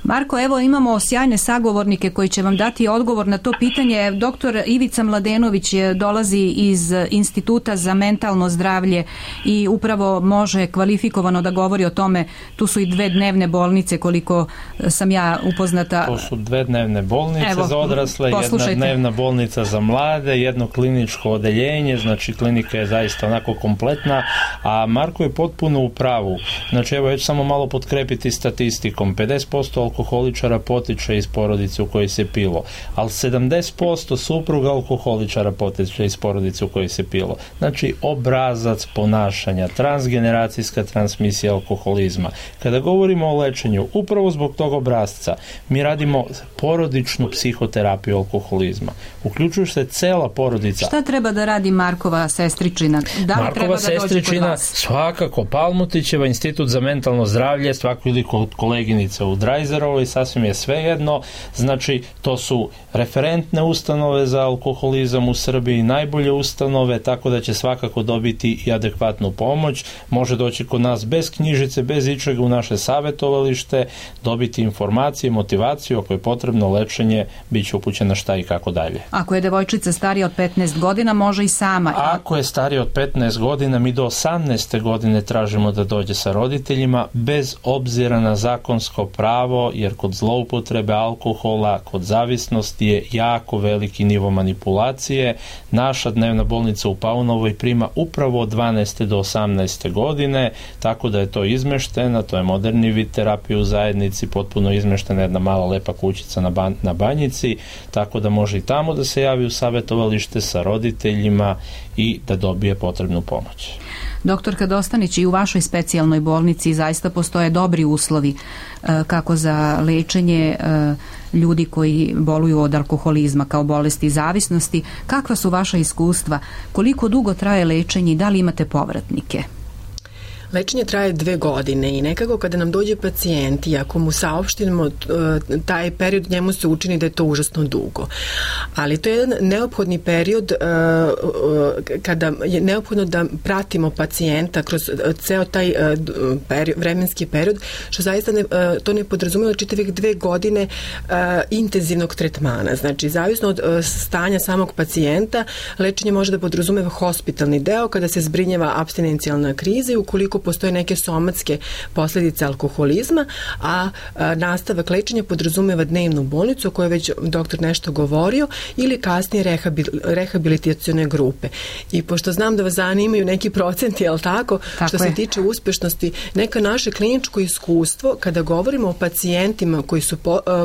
Marko, evo imamo sjajne sagovornike koji će vam dati odgovor na to pitanje. Doktor Ivica Mladenović dolazi iz Instituta za mentalno zdravlje i upravo može kvalifikovano da govori o tome. Tu su i 2 dnevne bolnice, koliko sam ja upoznata. To su 2 dnevne bolnice za odrasle, poslušajte. 1 dnevna bolnica za mlade, 1 kliničko odeljenje, znači klinika je zaista onako kompletna, a Marko je potpuno u pravu. Znači evo, ja ću samo malo potkrepiti statistikom. 50% alkoholičara potiče iz porodice u kojoj se pilo, ali 70% supruga alkoholičara potiče iz porodice u kojoj se pilo. Znači obrazac ponašanja, transgeneracijska transmisija alkoholizma. Kada govorimo o lečenju, upravo zbog tog obrazca, mi radimo porodičnu psihoterapiju alkoholizma. Uključuje se cela porodica. Šta treba da radi Markova sestričina? Da li treba da dođe kod vas? Svakako, Palmutićeva, Institut za mentalno zdravlje, svako ili kod koleginice u Drajzerovoj, sasvim je svejedno. Znači, to su referentne ustanove za alkoholizam u Srbiji, najbolje ustanove, tako da će svakako dobiti i adekvatnu pomoć. Može doći kod nas bez knjižice, bez ičega u naše savjetovalište, dobiti informacije, motivaciju, ako je potrebno lečenje, bit će upućena šta i kako dalje. Ako je devojčica starija od 15 godina, može i sama. Ako je starija od 15 godina, mi do 18. godine tražimo da dođe sa roditeljima, bez obzira na zakonsko pravo, jer kod zloupotrebe alkohola, kod zavisnosti je jako veliki nivo manipulacije. Naša dnevna bolnica u Paunovoj prima upravo od 12. do 18. godine, tako da je to izmeštena, to je moderni vid terapije u zajednici, potpuno izmeštena jedna mala lepa kućica na Banjici, tako da može i tamo da se javi u savjetovalište sa roditeljima i da dobije potrebnu pomoć. Doktorka Dostanić, i u vašoj specijalnoj bolnici zaista postoje dobri uslovi kako za lečenje ljudi koji boluju od alkoholizma kao bolesti zavisnosti. Kakva su vaša iskustva? Koliko dugo traje lečenje i da li imate povratnike? Lečenje traje 2 godine i nekako kada nam dođe pacijent i ako mu saopštimo taj period, njemu se učini da je to užasno dugo. Ali to je jedan neophodni period kada je neophodno da pratimo pacijenta kroz ceo taj vremenski period, što zaista to ne podrazumijeva čitavih 2 godine intenzivnog tretmana. Znači, zavisno od stanja samog pacijenta, lečenje može da podrazumeva hospitalni deo kada se zbrinjava apstinencijalna kriza i ukoliko postoje neke somatske posljedice alkoholizma, a nastavak lečenja podrazumeva dnevnu bolnicu o kojoj je već doktor nešto govorio ili kasnije rehabilitacione grupe. I pošto znam da vas zanimaju neki procenti, jel tako što se tiče uspešnosti, neka naše kliničko iskustvo kada govorimo o pacijentima koji su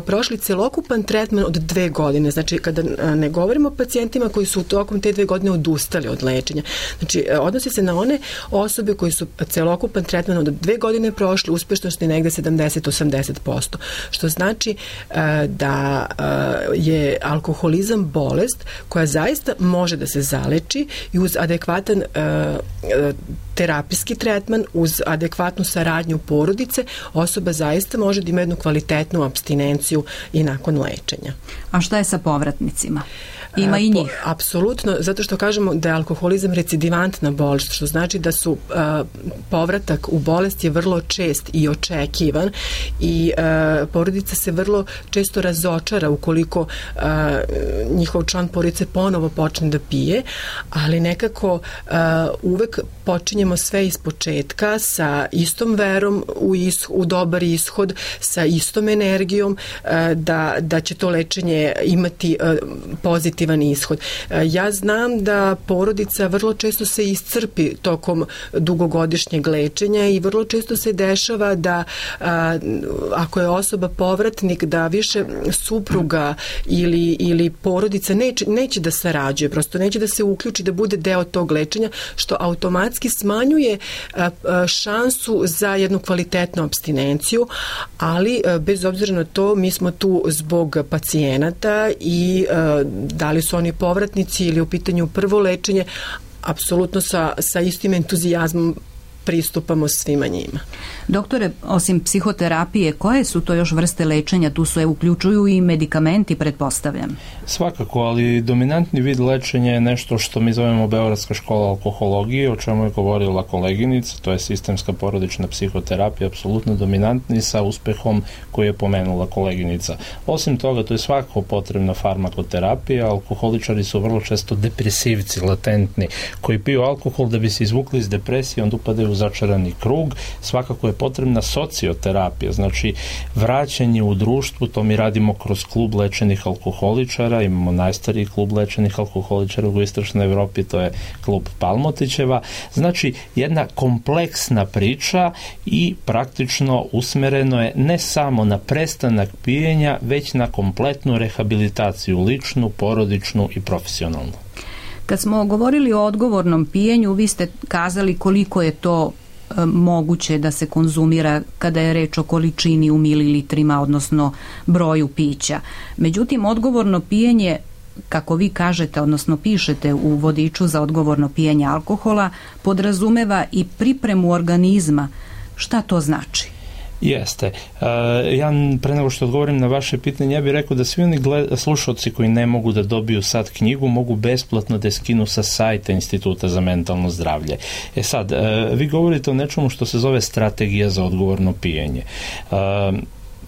prošli celokupan tretman od 2 godine, znači kada ne govorimo o pacijentima koji su tokom te 2 godine odustali od lečenja. Znači, odnosi se na one osobe koji su celokupan tretman od 2 godine prošli, uspešnosti negde 70-80%. Što znači da je alkoholizam bolest koja zaista može da se zaleči i uz adekvatan terapijski tretman, uz adekvatnu saradnju porodice, osoba zaista može da ima jednu kvalitetnu apstinenciju i nakon lečenja. A šta je sa povratnicima? Ima i njih. Apsolutno, zato što kažemo da je alkoholizam recidivantna bolest, što znači da su povratak u bolest je vrlo čest i očekivan i porodica se vrlo često razočara ukoliko njihov član porodice ponovo počne da pije, ali nekako uvek počinjemo sve iz početka sa istom verom u dobar ishod, sa istom energijom da će to lečenje imati pozitivan ishod. Ja znam da porodica vrlo često se iscrpi tokom dugogodišnjeg lečenja i vrlo često se dešava da ako je osoba povratnik, da više supruga ili porodica neće da sarađuje, prosto neće da se uključi, da bude deo tog lečenja, što automatski smanjuje šansu za jednu kvalitetnu apstinenciju, ali bez obzira na to mi smo tu zbog pacijenata i da li su oni povratnici ili u pitanju prvo lečenje, apsolutno sa istim entuzijazmom pristupamo svima njima. Doktore, osim psihoterapije, koje su to još vrste lečenja? Tu se uključuju i medikamenti, pretpostavljam. Svakako, ali dominantni vid lečenja je nešto što mi zovemo Beogradska škola alkohologije, o čemu je govorila koleginica, to je sistemska porodična psihoterapija, apsolutno dominantni sa uspehom koji je pomenula koleginica. Osim toga, to je svakako potrebna farmakoterapija, alkoholičari su vrlo često depresivci, latentni, koji piju alkohol da bi se izvukli iz depresije, onda upadaju u začarani krug. Svakako je potrebna socioterapija, znači vraćanje u društvu, to mi radimo kroz klub lečenih alkoholičara, imamo najstariji klub lečenih alkoholičara u istočnoj Evropi, to je klub Palmotićeva, znači jedna kompleksna priča i praktično usmereno je ne samo na prestanak pijenja, već na kompletnu rehabilitaciju, ličnu, porodičnu i profesionalnu. Kad smo govorili o odgovornom pijenju, vi ste kazali koliko je to moguće da se konzumira kada je reč o količini u mililitrima, odnosno broju pića. Međutim, odgovorno pijenje, kako vi kažete, odnosno pišete u vodiču za odgovorno pijenje alkohola, podrazumeva i pripremu organizma. Šta to znači? Jeste. Ja pre nego što odgovorim na vaše pitanje, ja bih rekao da svi oni slušalci koji ne mogu da dobiju sad knjigu mogu besplatno da je skinu sa sajta Instituta za mentalno zdravlje. Sad, vi govorite o nečemu što se zove strategija za odgovorno pijenje.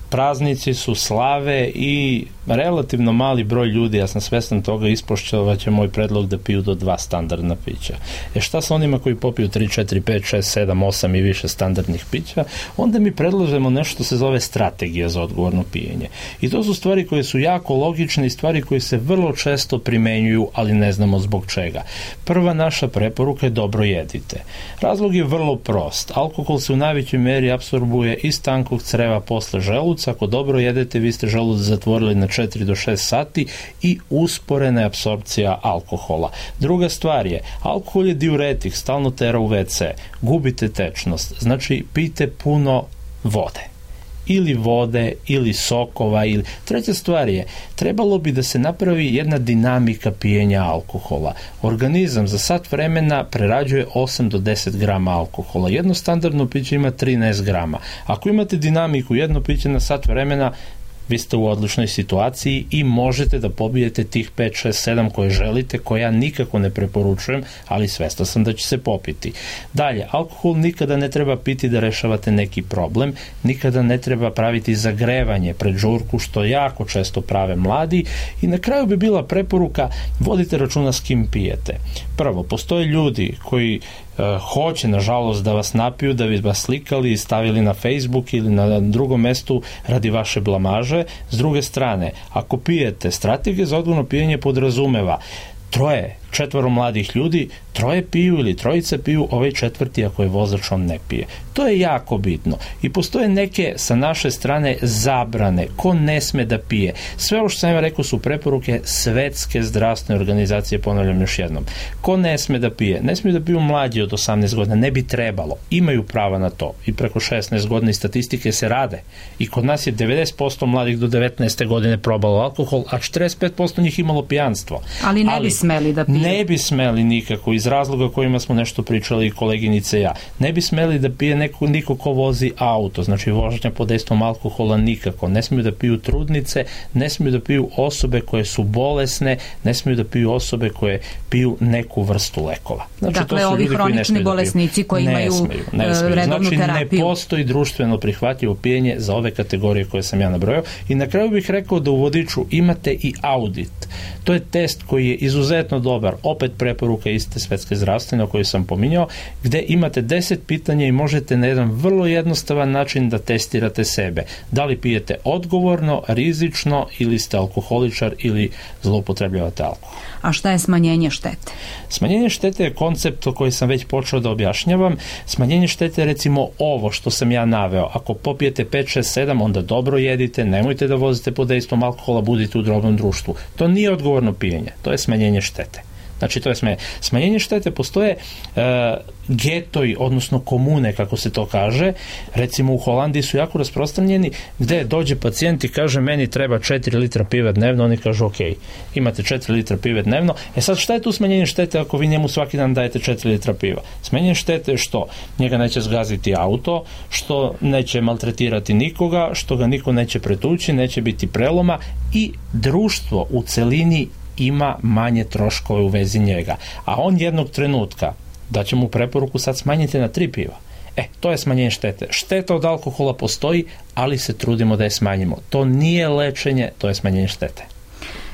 Praznici su, slave i relativno mali broj ljudi, ja sam svestan toga, ispošćovat će moj predlog da piju do 2 standardna pića. Šta sa onima koji popiju 3, 4, 5, 6, 7, 8 i više standardnih pića? Onda mi predlažemo nešto što se zove strategija za odgovorno pijenje. I to su stvari koje su jako logične i stvari koje se vrlo često primenjuju, ali ne znamo zbog čega. Prva naša preporuka je dobro jedite. Razlog je vrlo prost. Alkohol se u najvećoj meri apsorbuje iz tankog creva posle želuca. Ako dobro jedete, vi ste želudac zatvorili na 4 do 6 sati i usporena je apsorpcija alkohola. Druga stvar je, alkohol je diuretik, stalno tera u WC, gubite tečnost, znači pijte puno vode. Ili vode, ili sokova, ili... Treća stvar je, trebalo bi da se napravi jedna dinamika pijenja alkohola. Organizam za sat vremena prerađuje 8 do 10 grama alkohola. Jedno standardno piće ima 13 grama. Ako imate dinamiku, jedno piće na sat vremena, vi ste u odličnoj situaciji i možete da pobijete tih 5, 6, 7 koje želite, koje ja nikako ne preporučujem, ali svestan sam da će se popiti. Dalje, alkohol nikada ne treba piti da rešavate neki problem, nikada ne treba praviti zagrevanje pred žurku, što jako često prave mladi, i na kraju bi bila preporuka, vodite računa s kim pijete. Prvo, postoje ljudi koji hoće, nažalost, da vas napiju, da bi vas slikali i stavili na Facebook ili na drugom mestu radi vaše blamaže. S druge strane, ako pijete, strategija za odgovorno pijenje podrazumeva 3, 4 mladih ljudi, 3 piju ili 3 piju, ovaj 4, ako je vozač, on ne pije. To je jako bitno. I postoje neke sa naše strane zabrane. Ko ne sme da pije? Sve ovo što sam ja rekao su preporuke Svetske zdravstvene organizacije, ponavljam još jednom. Ko ne sme da pije? Ne smiju da piju mlađi od 18 godina, ne bi trebalo. Imaju prava na to. I preko 16 godina i statistike se rade. I kod nas je 90% mladih do 19. godine probalo alkohol, a 45% njih imalo pijanstvo. Ali ne bi smeli da pije. Ne bi smeli nikako, iz razloga kojima smo nešto pričali koleginice i ja. Ne bi smeli da pije niko ko vozi auto, znači vožnja pod dejstvom alkohola nikako. Ne smiju da piju trudnice, ne smiju da piju osobe koje su bolesne, ne smiju da piju osobe koje piju neku vrstu lekova. Znači, dakle, to su ovi hronični bolesnici koji imaju redovnu terapiju. Znači, ne postoji društveno prihvatljivo pijenje za ove kategorije koje sam ja nabrojao. I na kraju bih rekao da u vodiču imate i audit. To je test koji je izuzetno dobar, opet preporuka iste Svetske zdravstvene o kojoj sam pominjao, gde imate 10 pitanja i možete na jedan vrlo jednostavan način da testirate sebe. Da li pijete odgovorno, rizično, ili ste alkoholičar ili zloupotrebljavate alkohol. A šta je smanjenje štete? Smanjenje štete je koncept o koji sam već počeo da objašnjavam. Smanjenje štete je recimo ovo što sam ja naveo. Ako popijete 5, 6, 7, onda dobro jedite, nemojte da vozite pod dejstvom alkohola, budite u drobnom društvu. To nije odgovorno pijenje, to je smanjenje štete. Znači to je smanjenje štete. Postoje getoji, odnosno komune, kako se to kaže. Recimo u Holandiji su jako rasprostranjeni, gde dođe pacijent i kaže meni treba 4 litra pive dnevno, oni kažu ok, imate 4 litra pive dnevno. Sad šta je tu smanjenje štete ako vi njemu svaki dan dajete 4 litra piva? Smanjenje štete je što? Njega neće zgaziti auto, što neće maltretirati nikoga, što ga niko neće pretući, neće biti preloma i društvo u celini ima manje troškove u vezi njega. A on jednog trenutka da će mu preporuku sad smanjiti na 3 piva. To je smanjenje štete. Šteta od alkohola postoji, ali se trudimo da je smanjimo. To nije lečenje, to je smanjenje štete.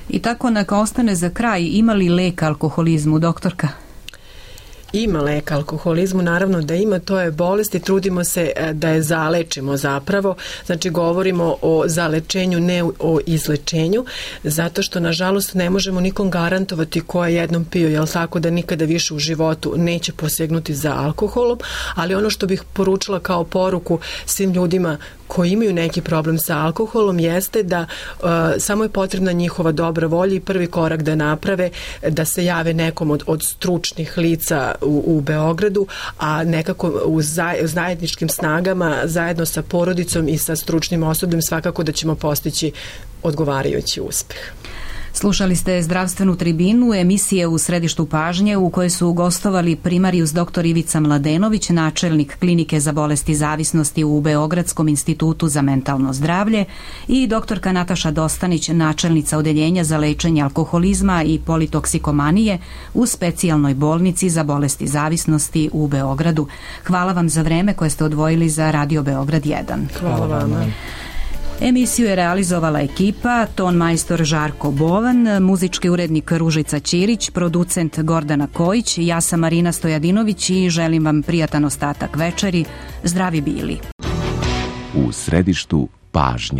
I tako neka ostane za kraj, ima li lek alkoholizmu, doktorka? Ima lek alkoholizmu, naravno da ima, to je bolest i trudimo se da je zalečimo zapravo, znači govorimo o zalečenju, ne o izlečenju, zato što nažalost ne možemo nikom garantovati ko je jednom pio, jel tako, da nikada više u životu neće posegnuti za alkoholom, ali ono što bih poručila kao poruku svim ljudima koji imaju neki problem sa alkoholom jeste da samo je potrebna njihova dobra volja i prvi korak da naprave, da se jave nekom od stručnih lica u Beogradu, a nekako u zajedničkim snagama, zajedno sa porodicom i sa stručnim osobljem svakako da ćemo postići odgovarajući uspeh. Slušali ste Zdravstvenu tribinu, emisije u središtu pažnje u kojoj su gostovali primarijus dr. Ivica Mladenović, načelnik klinike za bolesti zavisnosti u Beogradskom institutu za mentalno zdravlje, i doktorka Nataša Dostanić, načelnica odeljenja za lečenje alkoholizma i politoksikomanije u specijalnoj bolnici za bolesti zavisnosti u Beogradu. Hvala vam za vreme koje ste odvojili za Radio Beograd 1. Hvala vama. Emisiju je realizovala ekipa, ton majstor Žarko Bovan, muzički urednik Ružica Ćirić, producent Gordana Kojić, ja sam Marina Stojadinović i želim vam prijatan ostatak večeri. Zdravi bili. U središtu pažnje.